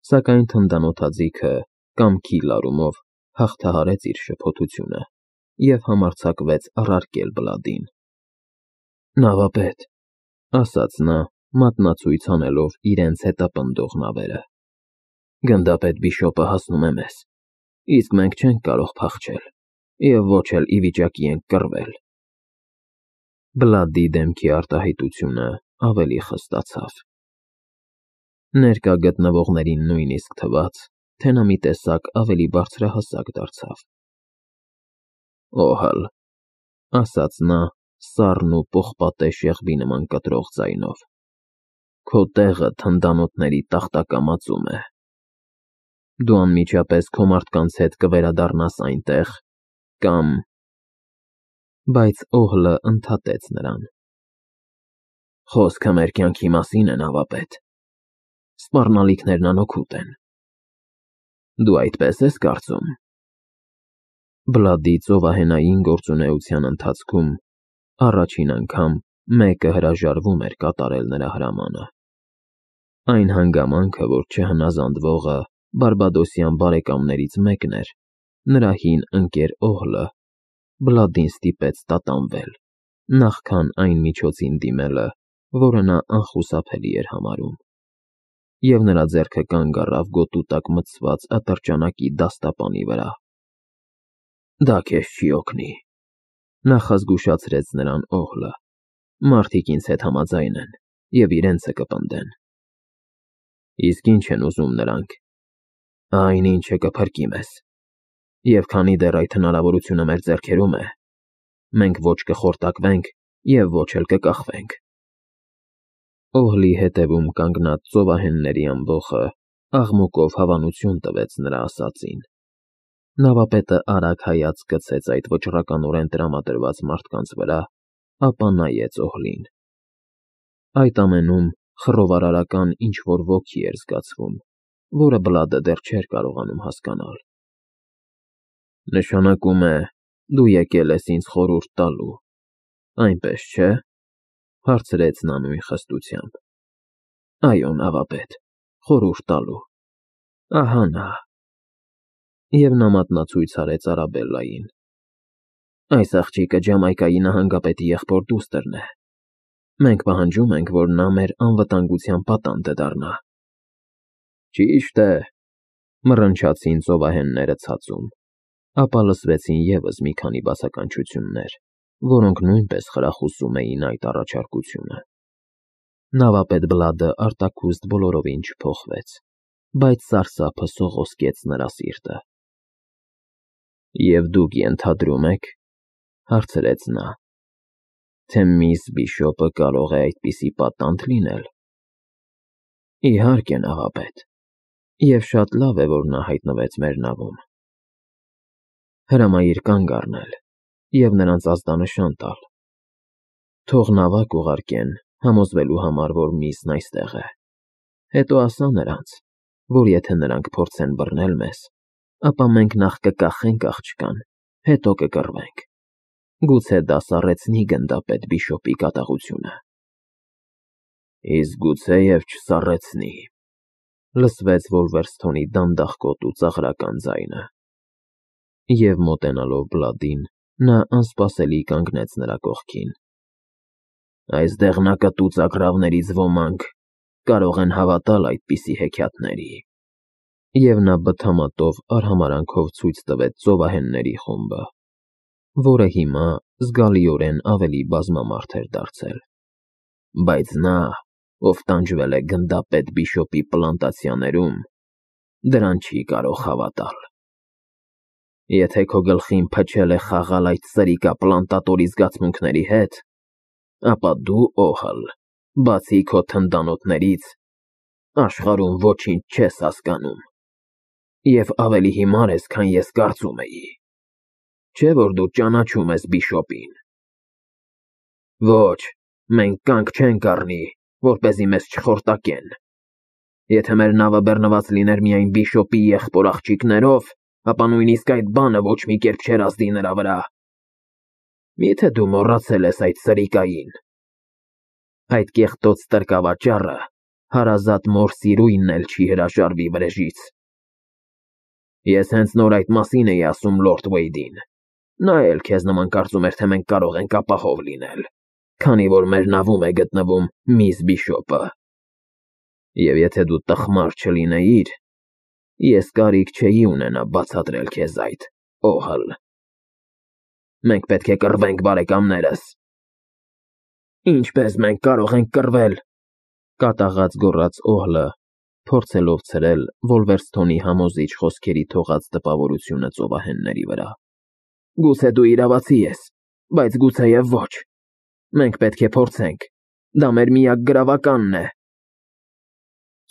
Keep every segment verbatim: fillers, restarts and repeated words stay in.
Սակայն թնդանոթաձիգը կամքի լարումով հաղթահարեց իր շփոթությունը և համարձակվեց առարկել Բլադին։ Նավապետ, ասաց նա, մատնացույց անելով իրենց հետապնդող նավերը, գնդապետ Բիշոպը հասնում է մեզ, իսկ մենք չենք կարող փախչել և ոչ էլ ի վիճակի ենք կռվել։ Բլադի դեմքի արտահայտությունը ավելի խստացավ։ Ներկա գտնվողներին նույնիսկ թվաց, թե նա մի տեսակ ավելի բարձրահասակ դարձավ։ Օհալ, ասաց նա սառն ու պողպատե շեղբի նման կտրող ձայնով, քո տեղը թնդանոթների տախտակամածում է։ Դու անմիջապես քո մարդկանց հետ կվերադառնաս այնտեղ, կամ… Բայց Օհլը ընդհատեց նրան. Խոսքը մեր կյանքի մասին է, նավապետ, սպառնալիքներն անօգուտ են։ Դու այդպես ես կարծում։ Բլադի ծովահենային գործունեության ընթացքում առաջին անգամ մեկը հրաժարվում էր կատարել նրա հրամանը։ Այն հանգամանքը, որ չհնազանդվողը բարբադոսյան բարեկամներից մեկն էր, նրա հին ընկեր Օհլը, Բլադին ստիպեց տատանվել, նախքան այն միջոցին դիմելը, որը նա անխուսափելի էր համարում, և նրա ձեռքը կանգ առավ գոտու տակ մտցված ատրճանակի դաստապանի վրա։ Դա քեզ չի օգնի, նախազգուշացրեց նրան Օհլը, մարդիկ ինձ հետ համաձայն են և իրենցը կպնդեն։ Իսկ ինչ են ուզում նրանք։ Այն, ինչը կփրկի մեզ, և քանի դեռ այդ հնարավորությունը մեր ձեռքերում է, մենք ոչ կխորտակվենք և ոչ էլ կկախվենք։ Օհլի հետևում կանգնած ծովահենների ամբոխը աղմուկով հավանություն տվեց նրա ասածին։ Նավապետը արագ հայացք գցեց այդ վճռականորեն տրամադրված մարդկանց վրա, ապա նայեց Օհլին։ Այդ ամենում խռովարարական ինչ-որ ոգի էր զգացվում, որը Բլադը դեռ չէր կարողանում հասկանալ։ Նշանակում է, դու եկել ես ինձ խորհուրդ տալու, այնպես չէ՞, հարցրեց նա նույն խստությամբ։ Այո, նավապետ, խորհուրդ տալու, ահա նա։ Եվ նա մատնացույց արեց Արաբելլային։ Այս աղջիկը Ջամայկայի նահանգապետի եղբոր դուստրն է։ Մենք պահանջում ենք, որ նա մեր անվտանգության պատանդը դառնա։ Ճիշտ է, մռնչացին ծովահենները ցածում, ապա լսվեցին ևս մի քանի բացականչություններ, որոնք նույնպես խրախուսում էին այդ առաջարկությունը։ Նավապետ Բլադը արտաքուստ բոլորովին չփոխվեց, բայց սարսափը սողոսկեց նրա սիրտը։ Եվ դուք ենթադրում եք, հարցրեց նա, թե միս Բիշոպը կարող է այդպիսի պատանդ լինել։ Իհարկե, նավապետ, և շատ լավ է, որ նա հայտնվեց մեր նավում։ Հրամայիր կանգ առնել և նրանց ազդանշան տալ։ Թող նավակ ուղարկեն, համոզվելու համար, որ միսն այստեղ է։ Հետո ասա նրանց, որ եթե նրանք փորձեն բռնել մեզ, ապա մենք նախ կկախենք աղջկան, հետո կկռվենք։ Գուցե դա սառեցնի գնդապետ Բիշոպի կատաղությունը։ Իսկ գուցեև չսառեցնի, լսվեց Վոլվերսթոնի դանդաղկոտ ու ծաղրական ձայնը։ Եվ մոտենալով Բլադին, նա անսպասելի կանգնեց նրա կողքին։ Այս դեղնակտու ծագրավներից ոմանք կարող են հավատալ այդպիսի հեքիաթների։ Եվ նա բթամատով արհամարանքով ցույց տվեց ծովահենների խումբը, որը հիմա զգալիորեն ավելի բազմամարդ էր դարձել։ Բայց նա, ով տանջվել է գնդապետ Բիշոպի պլանտացիաներում, դրան չի կարող հավատալ։ Եթե քո գլխին փչել է խաղալ այդ սրիկա֊պլանտատորի զգացմունքների հետ, ապա դու, Օհլ, բացի քո թնդանոթներից, աշխարհում ոչինչ չես հասկանում, և ավելի հիմար ես, քան ես կարծում էի։ Չէ՞ որ դու ճանաչում ես Բիշոպին։ Ոչ, մենք կանգ չենք առնի, որպեսզի մեզ չխորտակեն։ Եթե մեր նավը բեռնված լիներ միայն Բիշոպի եղբոր աղջիկներով, ապա նույնիսկ այդ բանը ոչ մի կերպ չէր ազդի նրա վրա։ Մի՞թե դու մոռացել ես այդ սրիկային։ Այդ կեղտոտ ստրկավաճառը հարազատ մոր սիրույնն էլ չի հրաժարվի վրեժից։ Ես հենց նոր այդ մասին էի ասում լորդ Վեյդին։ Նա էլ քեզ նման կարծում էր, թե մենք կարող ենք ապահով լինել, քանի որ մեր նավում է գտնվում միս Բիշոպը։ Եվ եթե դու տխմար չլինեիր, ես կարիք չէի ունենա բացատրել քեզ այդ, Օհլ։ Մենք պետք է կռվենք, բարեկամներս։ Ինչպես մենք կարող ենք կռվել, կատաղած գոռաց Օհլը, փորձելով ցրել Վոլվերսթոնի համոզիչ խոսքերի թողած տպավորությունը ծովահենների վրա։ Գուցե դու իրավացի ես, բայց գուցեև ոչ։ Մենք պետք է փորձենք։ Դա մեր միակ գրավականն է։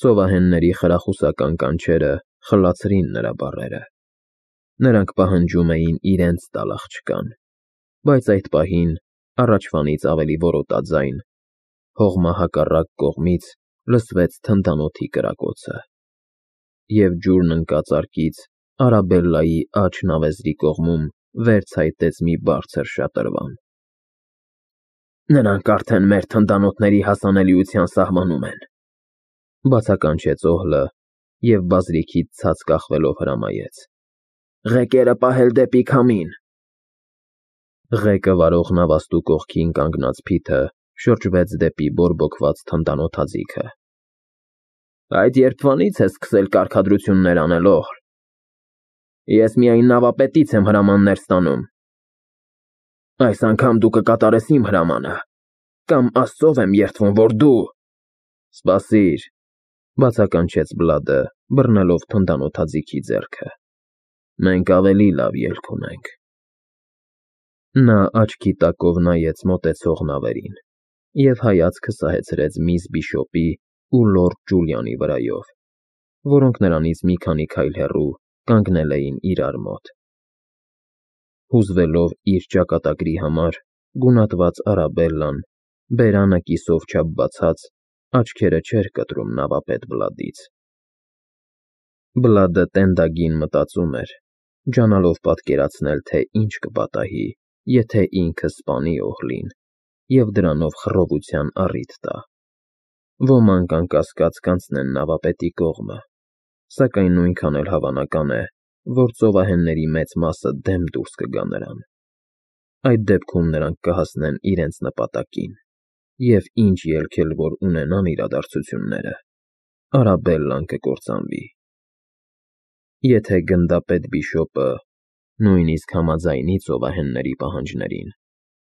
Ծովահենների խրախուսական կանչերը խլացրին նրա բառերը։ Նրանք պահանջում էին իրենց տալ աղջկան, բայց այդ պահին առաջվանից ավելի որոտաձայն հողմահակառակ կողմից լսվեց թնդանոթի կրակոցը, և ջուրն ընկած արկից Արաբելլայի աջ նավեզրի կողմում վեր ցայտեց մի բարձր շատրվան։ Նրանք արդեն մեր թնդանոթների հասանելիության սահմանում են, բացականչեց Օհլը և բազրիքից ցած կախվելով հրամայեց. Ղեկերը պահել դեպի քամին։ Ղեկը վարող նավաստու կողքին կանգնած Փիթը շրջվեց դեպի բորբոքված թնդանոթաձիգը։ Այդ երբվանից ես սկսել կարգադրություններ անել, Օհլ։ Ես միայն նավապետից եմ հրամաններ ստանում։ Այս անգամ դու կկատարես իմ հրամանը, կամ Աստծով եմ երդվում, որ դու… Սպասիր, բացականչեց Բլադը, բռնելով թնդանոթաձիգի ձեռքը։ Մենք ավելի լավ ելք ունենք։ Նա աչքի տակով նայեց մոտեցող նավերին և հայացքը սահեցրեց միս Բիշոպի ու լորդ Ջուլիանի վրայով, որոնք նրանից մի քանի քայլ հեռու կանգնել էին իրար մոտ։ Հուզվելով իր ճակատագրի համար, գունատված Արաբելլան, բերանը կիսով չափ բացած, աչքերը չէր կտրում նավապետ Բլադից։ Բլադը տենդագին մտածում էր, ջանալով պատկերացնել, թե ինչ կպատահի, եթե ինքը սպանի Օհլին և դրանով խռովության առիթ տա։ Ոմանք անկասկած կանցնեն նավապետի կողմը, սակայն նույնքան էլ հավանական է, որ ծովահենների մեծ մասը դեմ դուրս կգա նրան։ Այդ դեպքում նրանք կհասնեն իրենց նպատակին, և ինչ ելք էլ որ ունենան իրադարձությունները, Արաբելլան կկործանվի։ Եթե գնդապետ Բիշոպը նույնիսկ համաձայնի ծովահենների պահանջներին,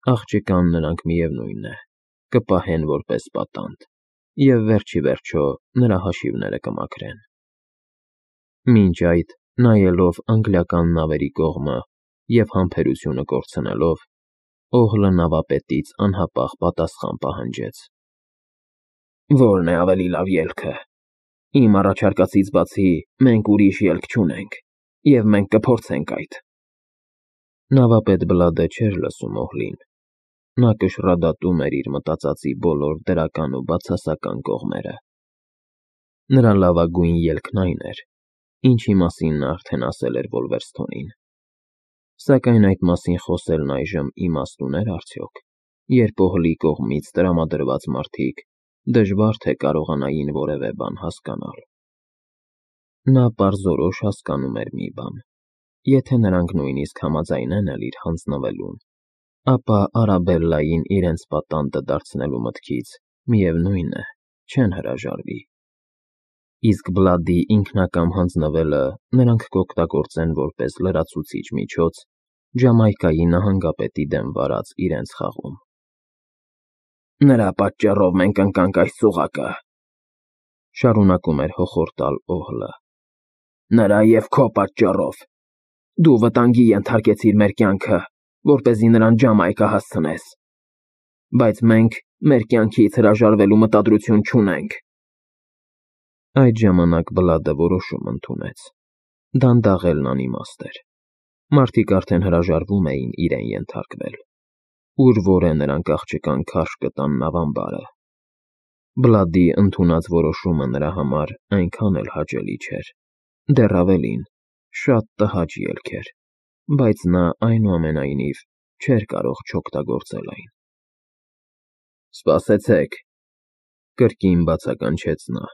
աղջկան նրանք միևնույն է, կպահեն որպես պատանդ և վերջ ի վերջո նրա հաշիվները կմաքրեն։ Մինչ այդ, նայելով անգլիական նավերի կողմը և համբերությունը կորցնելով, Օհլը նավապետից անհապաղ պատասխան պահանջեց. Ո՞րն է ավելի լավ ելքը։ Իմ առաջարկածից բացի մենք ուրիշ ելք չունենք, և մենք կփորձենք այդ։ Նավապետ Բլադը չէր լսում Օհլին։ Նա կշռադատում էր իր մտածածի բոլոր դրական ու բացասական կողմերը։ Նրա լավագույն ելքն այն էր, ինչի մասին նա արդեն ասել էր Վոլվերսթոնին։ Սակայն այդ մասին խոսելն այժմ իմաստ ուներ արդյոք, երբ Օհլի կողմից տրամադրված մարդիկ դժվար թե կարողանային որևէ բան հասկանալ։ Նա պարզորոշ հասկանում էր մի բան. եթե նրանք նույնիսկ համաձայնեն էլ իր հանձնվելուն, ապա Արաբելլային իրենց պատանդը դարձնելու մտքից, միևնույն է, չեն հրաժարվի։ Իսկ Բլադի ինքնակամ հանձնվելը նրանք կօգտագործեն որպես լրացուցիչ միջոց Ջամայկայի նահանգապետի դեմ վարած իրենց խաղում։ Նրա պատճառով մենք ընկանք այս ծուղակը, շարունակում էր հոխորտալ Օհլը։ Նրա և քո պատճառով։ Դու վտանգի ենթարկեցիր մեր կյանքը, որպեսզի նրան Ջամայկա հասցնես։ Բայց մենք մեր կյանքից հրաժարվելու մտադրություն չունենք։ Այդ ժամանակ Բլադը որոշում ընդունեց։ Դանդաղելն անիմաստ էր։ Մարդիկ արդեն հրաժարվում էին իրեն ենթարկվել։ Ուր որ է նրանք աղջկան քարշ կտան նավամբարը։ Բլադի ընդունած որոշումը նրա համար այնքան էլ հաճելի չէր, դեռ ավելին, շատ տհաճ ելք էր, բայց նա այնուամենայնիվ չէր կարող չօգտագործել այն։ Սպասեցեք, Կրկին բացականչեց նա.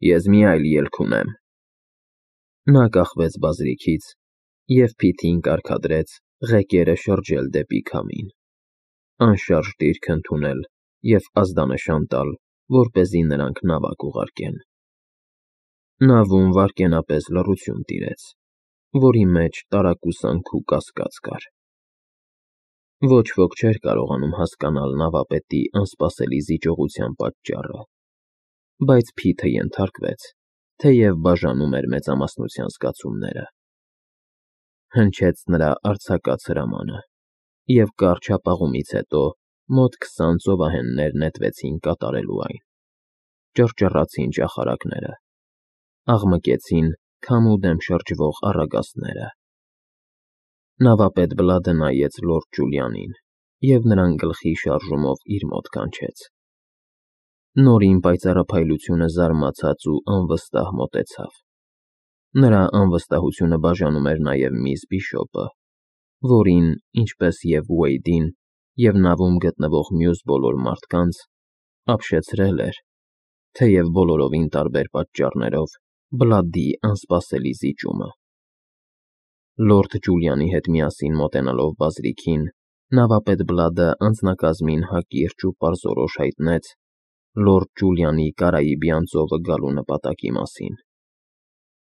Ես մի այլ ելք ունեմ։ Նա կախվեց բազրիքից և փիթին կարգադրեց ղեկերը շրջել դեպի քամին, անշարժ դիրք ընդունել և ազդանշան տալ, որպեսզի նրանք նավակ ուղարկեն։ Նավում վայրկենապես լռություն տիրեց, որի մեջ տարակուսանք ու կասկած կար։ Ոչ ոք չէր կարողանում հասկանալ նավապետի անսպասելի զիջողության պատճառը, բայց Փիթը ենթարկվեց, թեև բաժանում էր մեծամասնության զգացումները։ Հնչեց նրա արձակած հրամանը, և կարճ հապաղումից հետո մոտ քսան ծովահեններ նետվեցին կատարելու այն։ Ճռճռացին ճախարակները, աղմկեցին քամու դեմ շրջվող առագաստները։ Նավապետ Բլադը նայեց լորդ Ջուլիանին և նրան գլխի շարժումով իր մոտ կանչեց։ Նորին պայծառափայլությունը զարմացած ու անվստահ մոտեցավ։ Նրա անվստահությունը բաժանում էր նաև միս Բիշոպը, որին, ինչպես և Ուեյդին և նավում գտնվող մյուս բոլոր մարդկանց, ապշեցրել էր, թեև բոլորովին տարբեր պատճառներով, Բլադի անսպասելի զիջումը։ Լորդ Ջուլիանի հետ միասին մոտենալով բազրիքին, նավապետ Բլադը անձնակազմին հակիրճ ու պարզորոշ հայտնեց լորդ Ջուլիանի Կարաիբյան ծովը գալու նպատակի մասին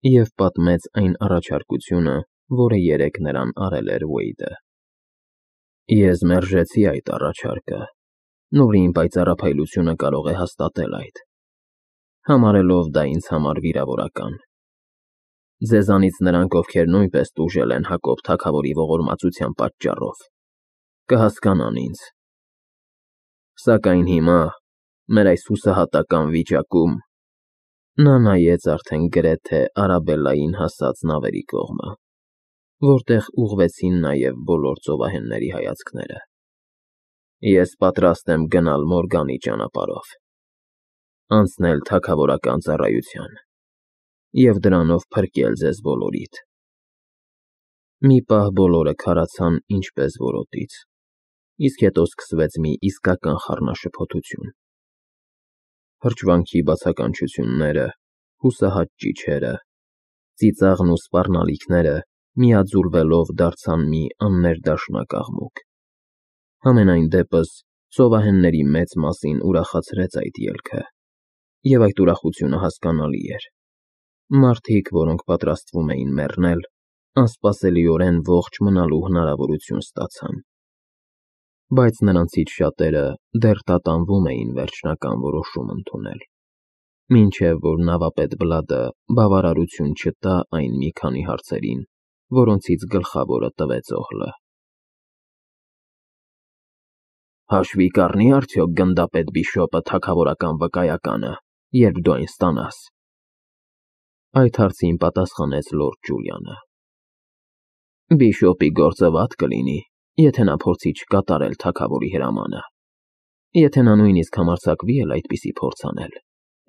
և պատմեց այն առաջարկությունը, որը երեկ նրան արել էր Ուեյդը։ Ես մերժեցի այդ առաջարկը, Նորին պայծառափայլությունը կարող է հաստատել այդ, համարելով դա ինձ համար վիրավորական։ Ձեզանից նրանք, ովքեր նույնպես տուժել են Հակոբ թագավորի ողորմածության պատճառով, կհասկանան ինձ։ Սակայն հիմա, մեր այս հուսահատական վիճակում, նա նայեց արդեն գրեթե Արաբելլային հասած նավերի կողմը, որտեղ ուղղվեցին նաև բոլոր ծովահենների հայացքները։ Ես պատրաստ եմ գնալ Մորգանի ճանապարհով, անցնել թագավորական ծառայության և դրանով փրկել ձեզ բոլորիդ։ Մի պահ բոլորը քարացան ինչպես որոտից, իսկ հետո սկսվեց մի իսկական խառնաշփոթություն։ Հրճվանքի բացականչությունները, հուսահատ ճիչերը, ծիծաղն ու սպառնալիքները միաձուլվելով դարձան մի աններդաշնակ աղմուկ։ Համենայն դեպս, ծովահենների մեծ մասին ուրախացրեց այդ ելքը, և այդ ուրախությունը հասկանալի էր։ Մարդիկ, որոնք պատրաստվում էին մեռնել, անսպասելիորեն ողջ մնալու հնարավորություն ստացան։ Բայց նրանցից շատերը դեռ տատանվում էին վերջնական որոշում ընդունել, մինչև որ նավապետ Բլադը բավարարություն չտա այն մի քանի հարցերին, որոնցից գլխավորը տվեց Օհլը։ Հաշվի կառնի՞ արդյոք գնդապետ Բիշոպը թագավորական վկայականը, երբ դու այն ստանաս։ Այդ հարցին պատասխանեց լորդ Ջուլիանը։ Բիշոպի գործը վատ կլինի, եթե նա փորձի չկատարել թագավորի հրամանը։ Եթե նա նույնիսկ համարձակվի էլ այդպիսի փորձ անել,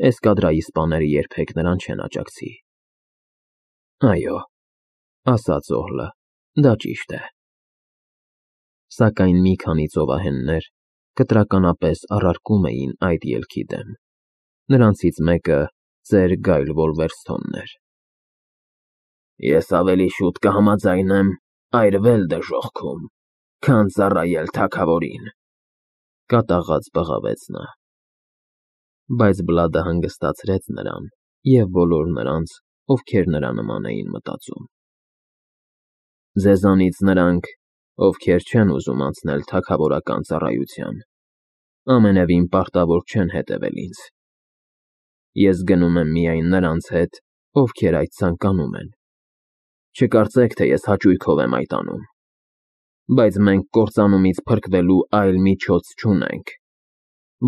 էսկադրայի սպաները երբեք նրան չեն աջակցի։ Այո, ասաց Օհլը, դա ճիշտ է։ Սակայն մի քանի ծովահեններ կտրականապես առարկում էին այդ ելքի դեմ։ Նրանցից մեկը ծեր Գայլ Վոլվերսթոնն էր։ Ես ավելի շուտ կհամաձայնեմ այրվել դժոխքում, քան ծառայել թագավորին, կատաղած բղավեց նա։ Բայց Բլադը հանգստացրեց նրան և բոլոր նրանց, ովքեր նրա նման էին մտածում։ Ձեզանից նրանք, ովքեր չեն ուզում անցնել թագավորական ծառայության, ամենևին պարտավոր չեն հետևել ինձ։ Ես գնում եմ միայն նրանց հետ, ովքեր այդ ցանկանում են։ Չկարծեք, թե ես հաճույքով եմ այդ անում։ Բայց մենք կործանումից փրկվելու այլ միջոց չունենք։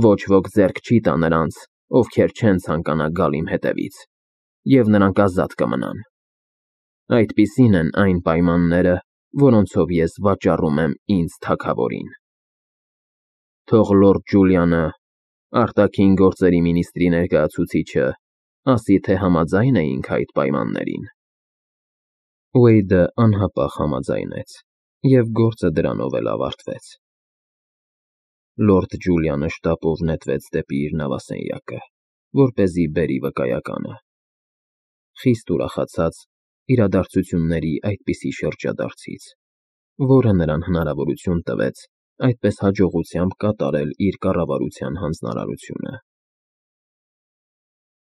Ոչ ոք ձեռք չի տա նրանց, ովքեր չեն ցանկանա գալ իմ հետևից, և նրանք ազատ կմնան։ Այդպիսին են այն պայմանները, որոնցով ես վաճառում եմ ինձ թագավորին։ Թող լորդ Ջուլիանը, արտաքին գործերի մինիստրի ներկայացուցիչը, ասի, թե համաձայն էինք այդ պայմաններին։ Ուեյդը անհապաղ համաձայնեց, և գործը դրանով էլ ավարտվեց։ Լորդ Ջուլիանը շտապով նետվեց դեպի իր նավասենյակը, որպեսզի բերի վկայականը, խիստ ուրախացած իրադարձությունների այդպիսի շրջադարձից, որը նրան հնարավորություն տվեց այդպես հաջողությամբ կատարել իր կառավարության հանձնարարությունը։